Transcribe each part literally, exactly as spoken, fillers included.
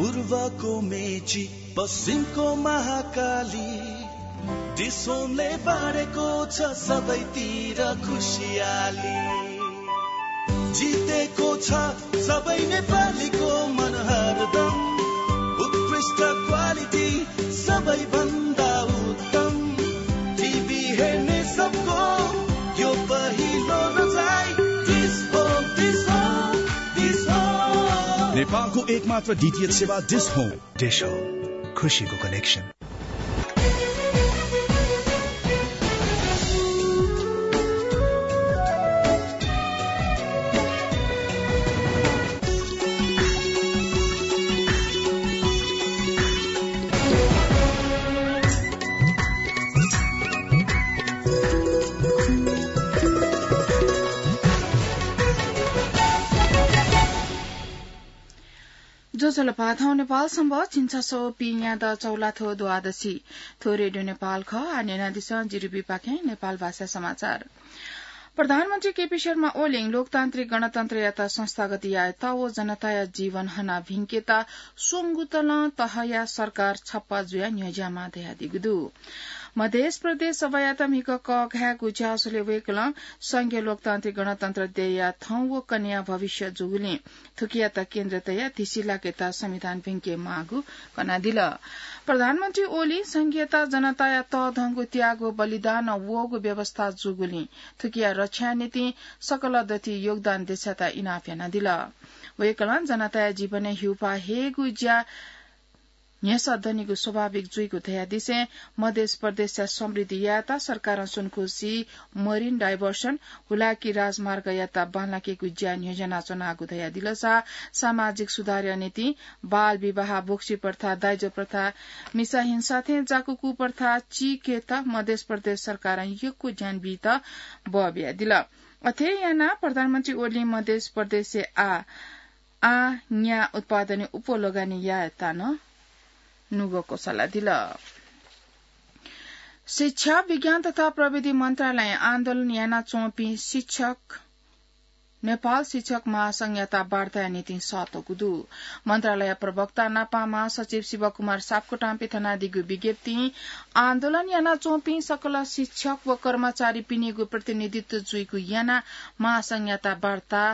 पूर्वको मेची, पश्चिमको महाकाली, डिस्होमले बाँडेको छ सबैतिर खुसियाली। जितेको छ सबै नेपालीको मन हरदम। उत्कृष्ट क्वालिटी, सबैभन्दा उत्तम। टिभी हेर्ने सबको यो पहिलो रोजाइ। डिस्होम, डिस्होम, डिस्होम। नेपालको एकमात्र डिटिएच सेवा डिस्होम। डिस्होम, खुसीको कनेक्सन। ज्वजलपा, थौं नेपाल संवत् झिंछसः पीन्यादँ चौलाथ्व द्वादशी। थ्व रेडियो नेपाल खः। आः न्यनादिसँ जिरिबीपाखें नेपाल भाषा समाचार। प्रधानमन्त्री केपी शर्मा ओलीं लोकतान्त्रिक गणतन्त्रयात संस्थागत यायेत व जनताया जीवन हना भिंकेत स्वंगू तलं तहया सरकार छप्पा जुयाः न्ह्यज्याःमाः धयादीगु दु। मधेस प्रदेश सभायात म्हिगः कःघायेगु ज्याझ्वलय् वय्कलं संघीय लोकतान्त्रिक गणतन्त्र देय्या थौं व कन्हय्या भविष्य जूगुलिं थुकियात केन्द्र तयाः धिसिलाकेत संविधान भिंकेमाःगु कनादिल। प्रधानमन्त्री ओलीं संघीयता जनताया तःधंगु त्याग व बलिदानं वःगु व्यवस्था जूगुलिं थुकिया रक्षाया निंतिं सकल दथुइ योगदान देछायेत इनाप यानादिल। वय्कलं जनताया जीवनय् हिउपाः हयेगु ज्या न्ह्यसः दनिगु स्वाभाविक जुइगु धयादिसें मधेस प्रदेशया समृद्धि यायेत सरकारं सुनखुसी, marine diversion, हुलाकी राजमार्गयात बांलाकेगु ज्या न्ह्यज्यानाच्वनागु धयादिलसा सामाजिक सुधारया निंतिं बाल विवाह, बोक्सी प्रथा, दाइजो प्रथा, मिसा हिंसा थें जाकु कुप्रथा चीकेत मधेस प्रदेश सरकारं यक्व ध्यान बीत बः बियादिल। अथे यानाः प्रधानमन्त्री ओलीं मधेस प्रदेशय् आः आः न्या उत्पादनय् उप लगानी यायेत नं नुगः क्वसालादिल। शिक्षा, विज्ञान तथा प्रविधि मन्त्रालयं आन्दोलन यानाच्वंपिं शिक्षक नेपाल शिक्षक महासंघयात वार्ताया निंतिं सःतःगु दु। मन्त्रालय प्रवक्ता नापं महासचिव शिवकुमार सापकोटां पिथनादीगु विज्ञप्तिं आन्दोलन यानाच्वंपिं सकल शिक्षक व कर्मचारीपिनिगु प्रतिनिधित्व जुइगु यानाः महासंघयात वार्ता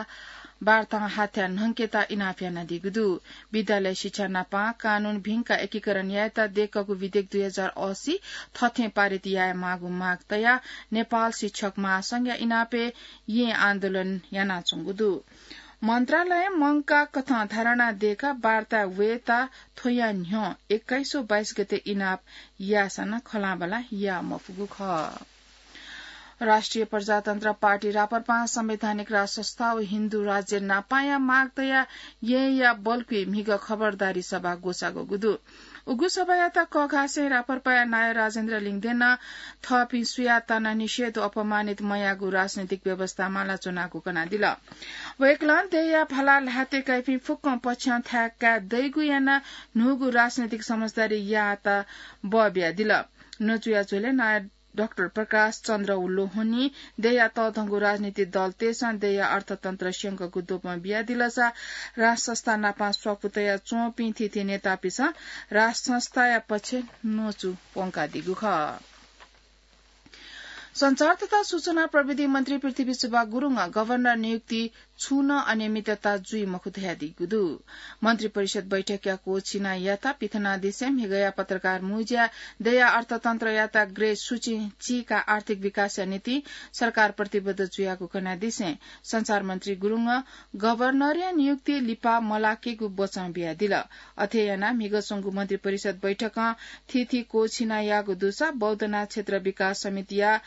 वार्तां हाथ्या न्हंकेत इनाप यानादीगु दु। विद्यालय शिक्षा नापं कानून भिंकाः एकीकरण यायेत दय्कःगु विधेयक दुई हजार असी थथें पारित यायेमाःगु माग तयाः नेपाल शिक्षक महासंघया इनापय् येँ आन्दोलन यानाच्वंगु दु। मन्त्रालयं मंकाः कथं धारणा दय्काः वार्ताय् वयेत थ्वया न्ह्यः एक्काइसौं बाइस गते इनाप याःसां नं खँल्हाबल्हा याः मफुगु खः। राष्ट्रिय प्रजातन्त्र पार्टी राप्रपां संवैधानिक राजसंस्था व हिन्दू राज्य नापांया माग तयाः येँया बल्कुइ म्हिगः खबरदारी सभा ग्वसाःगु दु। उगु सभायात कःघासें राप्रपाया नायः राजेन्द्र लिङदेनं थःपिं सुयातं नं निषेध व अपमानित मयाःगु राजनैतिक व्यवस्था मालाच्वनागु कनादिल। वय्कलं देय्या भाला ल्हातय् काइपिं फुक्कं पक्षं थाय् काये दइगु यानाः न्हूगु राजनैतिक समझदारी यायेत बः बियादिल। नजुया झ्वलय् नायः डाक्टर प्रकाश चन्द्र लोहनीं देय्या तःधंगु राजनीतिक दलतय्सं देय्या अर्थतन्त्र स्यंकूगु द्वपं बियादिलसा राजसंस्था नापं स्वापू तयाच्वंपिं थीथी नेतापिन्सं राजसंस्थाया पक्षय् न्वचु प्वंकादीगु खः। सञ्चार तथा सूचना प्रविधि मन्त्री पृथ्वीशुभा गुरुङं गभर्नर नियुक्ति छुं नं अनियमितता जुइ मखु धयादीगु दु। मन्त्रिपरिषद बैठकया क्वःछिनायात पिथनादिसें म्हिगःया पत्रकार मुँज्याय् देय्या अर्थतन्त्रयात ग्रे सूचीं चीकाः आर्थिक विकासया निंतिं सरकार प्रतिबद्ध जुयागु कनादिसें सञ्चार मन्त्री गुरुङं गभर्नरया नियुक्ति लिपा मलाकेगु बचं बियादिल। अथे यानाः म्हिगः च्वंगु मन्त्रिपरिषद बैठकं थीथी क्वःछिनायाःगु दुसा बौद्धनाथ क्षेत्र विकास समितिया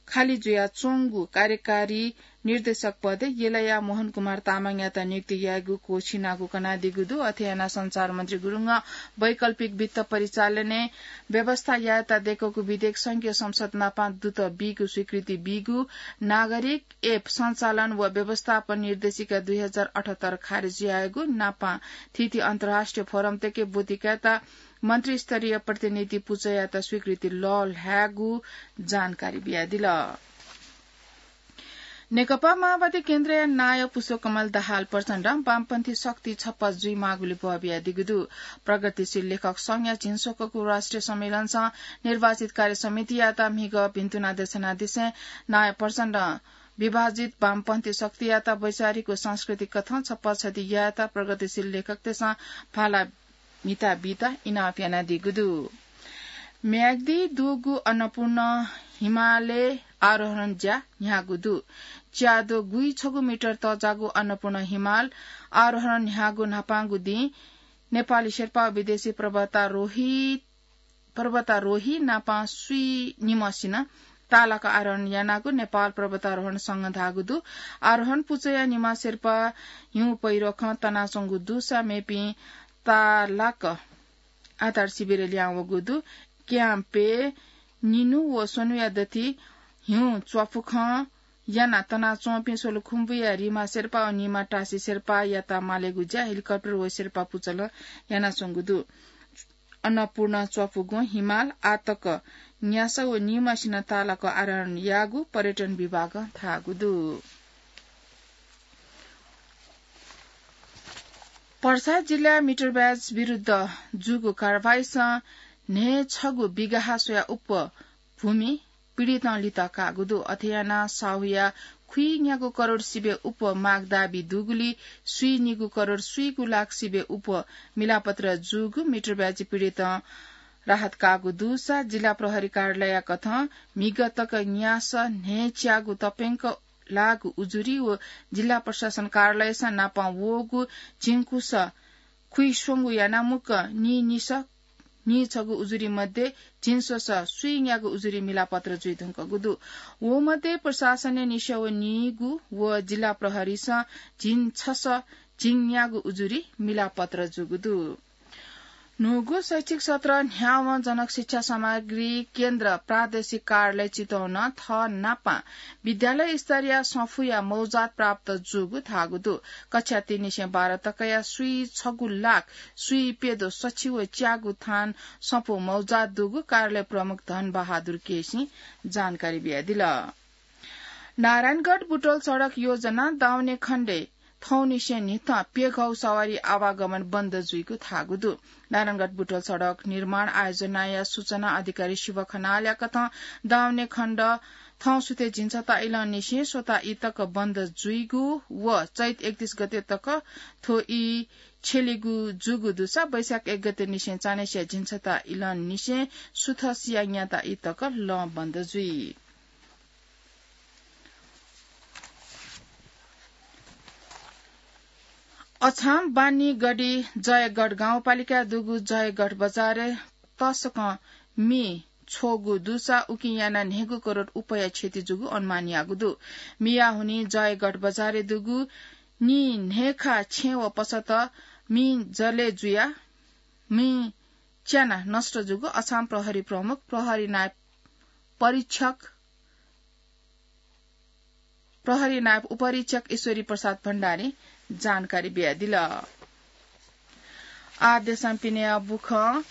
खालि जुयाच्वंगु कार्यकारी निर्देशक पदय् यलया मोहन कुमार तामाङयात नियुक्ति यायेगु क्वःछिनागु कनादीगु दु। अथे यानाः सञ्चार मन्त्री गुरुङं वैकल्पिक वित्त परिचालनय् व्यवस्था यायेत दय्कूगु विधेयक संघीय संसद नापं दुत बीगु स्वीकृति बीगु, नागरिक एप सञ्चालन व व्यवस्थापन निर्देशिका दुई हजार अठहत्तर खारेज यायेगु, नापं थीथी अन्तर्राष्ट्रिय फोरमतय्के ब्वति कायेत मन्त्रीस्तरीय प्रतिनिधि पुचःयात स्वीकृति लःल्हायेगु जानकारी बियादिल। नेकपा माओवादी केन्द्रया नायः पुष्पकमल दाहाल प्रचण्डं वामपन्थी शक्ति छप्पा जुइमाःगुलिं ब्वः बियादीगु दु। प्रगतिशील लेखक संघया झिंस्वकःगु राष्ट्रिय सम्मेलनसं निर्वाचित कार्य समितियात म्हिगः भिन्तुना देछानादिसें नायः प्रचण्डं विभाजित वामपन्थी शक्तियात वैचारिक व सांस्कृतिक कथं छप्पा छधि यायेत प्रगतिशील लेखकतय्सं भाला म्हिता बीत इनाप यानादीगु दु। म्याग्दी दुगु अन्नपूर्ण हिमालय् आरोहण ज्या न्ह्याःगु दु। च्याद्वः गुइछगू मिटर तःजाःगु अन्नपूर्ण हिमाल आरोहण न्ह्याःगु न्हापांगु दिं नेपाली शेर्पा व विदेशी पर्वतारोही, पर्वतारोही नापं स्वीनिम्हसिनं ताःलाक आरोहण यानागु नेपाल पर्वतारोहण संघं धाःगु दु। आरोहण पुचःया निम्ह शेर्पा हिउँ पहिरोखं तनाच्वंगु दुसा मेपिं ताःलाक आधार शिविरय् लिहां वःगु दु। क्याम्पय् निन्हु व स्वन्हुया दथुइ हिउँ च्वाफुखं यानाः तनाच्वंपिं सोलुखुम्बुया रिमा शेर्पा व निमा टासी शेर्पायात मालेगु ज्या हेलिकप्टर व शेर्पा पुचलं यानाच्वंगु दु। अन्नपूर्ण च्वाफुगुं हिमाल आःतक न्यासः व निम्हसिनं ताःलाक आरोहण याःगु पर्यटन विभागं धाःगु दु। पर्सा जिल्लाय् मिटर ब्याज विरुद्ध जूगु कारवाहीसं न्हय्छगू बिघा स्वयाः उप्वः भूमि पीडितं लित काःगु दु। अथे यानाः साहुया खुइन्यागू करोड सिबय् उप्वः माग दाबी दुगुलिं स्वीनिगू करोड स्वीगू लाख सिबय् उप्वः मिलापत्र जूगु मिटर ब्याज पीडितं राहत काःगु दुसा जिल्ला प्रहरी कार्यालयया कथं म्हिगः तक न्यासः न्हय्च्यागू तप्यंक लाःगु उजुरी व जिल्ला प्रशासन कार्यालयसं नापं वःगु झिंकुसः खुइस्वंगू यानाः मुक्क नीनिसः नीछगू उजुरी मध्ये झिंस्वसः स्वीन्यागू उजुरी मिलापत्र जुइधुंकूगु दु। व मध्ये प्रशासनय् निसः व नीगू व जिल्ला प्रहरीसं झिंछसः झिंन्यागू उजुरी मिलापत्र जूगु दु। न्हूगु शैक्षिक सत्र न्ह्यावं जनक शिक्षा सामग्री केन्द्र प्रादेशिक कार्यालय चितवनं थः नापं विद्यालय स्तरीय सफूया मौजात प्राप्त जूगु धाःगु दु। कक्षा तीन निसें बाह्र तकया स्वीछगू लाख स्वीप्यदँ सछि व च्यागू थान सफू मौजात दुगु कार्यालय प्रमुख धन बहादुर केसीं जानकारी बियादिल। नारायणगढ बुटवल सडक योजना दाउने खण्डय् थौंनिसें न्हिथं प्यघौ सवारी आवागमन बन्द जुइगु धाःगु दु। नारायणगढ बुटवल सडक निर्माण आयोजनाया सूचना अधिकारी शिव खनालया कथं दाउने खण्ड थौंसुथय् झिंछता इलंनिसें स्वता ई तक बन्द जुइगु व चैत एकतीस गते तक थ्व ई छ्यलीगु जूगु दुसा वैशाख एक गते निसें चान्हय्सिया झिंछता इलंनिसें सुथसिया न्याता ई तक लं बन्द जुइ। अछाम बानी गढी जयगढ गाउँपालिका दुगु जयगढ बजारय् तसकं मि छ्वःगु दुसा उकिं यानाः न्हय्गू करोड उपया क्षति जूगु अनुमान याःगु दु। मिया हुनिं जयगढ बजारय् दुगु नीन्हय्खा छेँ व पसत मि जलय् जुयाः मि च्यानाः नष्ट जूगु अछाम प्रहरी प्रमुख प्रहरी नायब परीक्षक, प्रहरी नायब उपरीक्षक ईश्वरी प्रसाद भण्डारीं जानकारी बियादिल। आः देशं पिनेया बुखँ।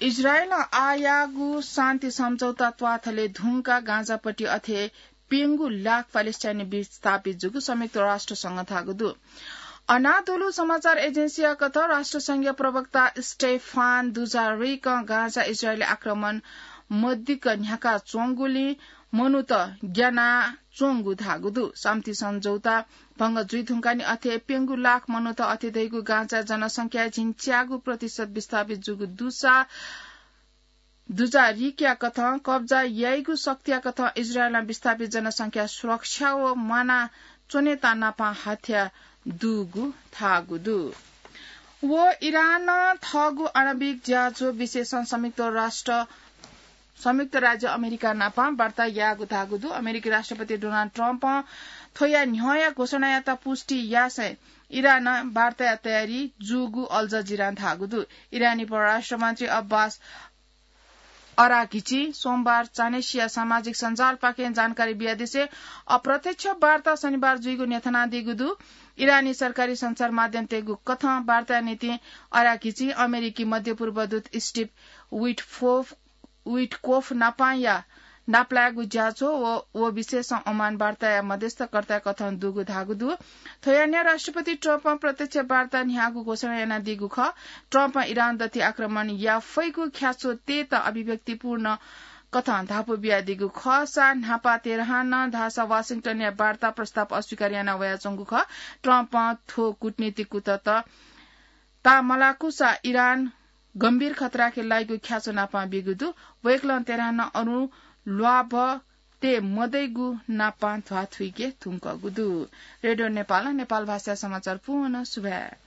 इजरायलं आः याःगु शान्ति सम्झौता त्वाथले धुंकाः गाजापट्टि अथे प्यंगू लाख प्यालेस्टाइनी विस्थापित जूगु संयुक्त राष्ट्र संघं धाःगु दु। अनादोलु समाचार एजेन्सीया कथं राष्ट्र संघया प्रवक्ता स्टेफान दुजारिकं गाजा इजरायली आक्रमण मदिक्क न्ह्याका च्वंगुलिं मनूत ग्याना च्वंगु धाःगु दु। शान्ति सम्झौता भंग जुइ धुंकाः नि अथे प्यंगू लाख मनूत अथे धइगु गाजा जनसंख्या झिंच्यागू प्रतिशत विस्थापित जूगु दुसा दुजारिकया कथं कब्जा याइगु शक्तिया कथं इजरायलं विस्थापित जनसंख्या सुरक्षा व म्वाना च्वनेत नापं हत्या दुगु धाःगु दु। व इरानं थःगु आणविक ज्याझ्वः विषयसं संयुक्त राष्ट्र, संयुक्त राज्य अमेरिका नापं वार्ता याःगु धाःगु दु। अमेरिकी राष्ट्रपति डोनाल्ड ट्रम्पं थ्वया न्ह्यःया घोषणायात पुष्टि यासें इरानं वार्ताया तयारी जूगु अल जजिरां धाःगु दु। इरानी परराष्ट्र मन्त्री अब्बास अराघिची सोमबार चान्हय्सिया सामाजिक सञ्जालपाखें जानकारी बियादिसें अप्रत्यक्ष वार्ता शनिबार जुइगु न्ह्यथनादीगु दु। इरानी सरकारी सञ्चार माध्यमतय्गु कथं वार्ताया निंतिं अराघिची अमेरिकी मध्यपूर्व दूत स्टिभ विटफोफ, विटकोफ नापंया नापलायेगु ज्याझ्वः व व विशेष ओमान वार्ताया मध्यस्थकर्ताया कथं दुगु धाःगु दु। थ्व यानाः राष्ट्रपति ट्रम्पं प्रत्यक्ष वार्ता न्ह्याःगु घोषणा यानादीगु खः। ट्रम्पं इरान दथि आक्रमण या फैगु ख्याच्वः तयेत अभिव्यक्तिपूर्ण कथं धापू बियादीगु खःसा न्हापा तेहरानं धाःसा वाशिंटनया वार्ता प्रस्ताव अस्वीकार याना वयाच्वंगु खः। ट्रम्पं थ्व कूटनीतिक कुतः ताःमलाकूसा इरान गम्भीर खतराके लाइगु ख्याच्वः नापं बीगु दु। वय्कलं तेहरानं अरू ल्वाभः तये मदइगु नापं ध्वाथुइके धुंकूगु दु। रेडियो नेपालं नेपाल भाषा समाचार पूवं सुभाय्।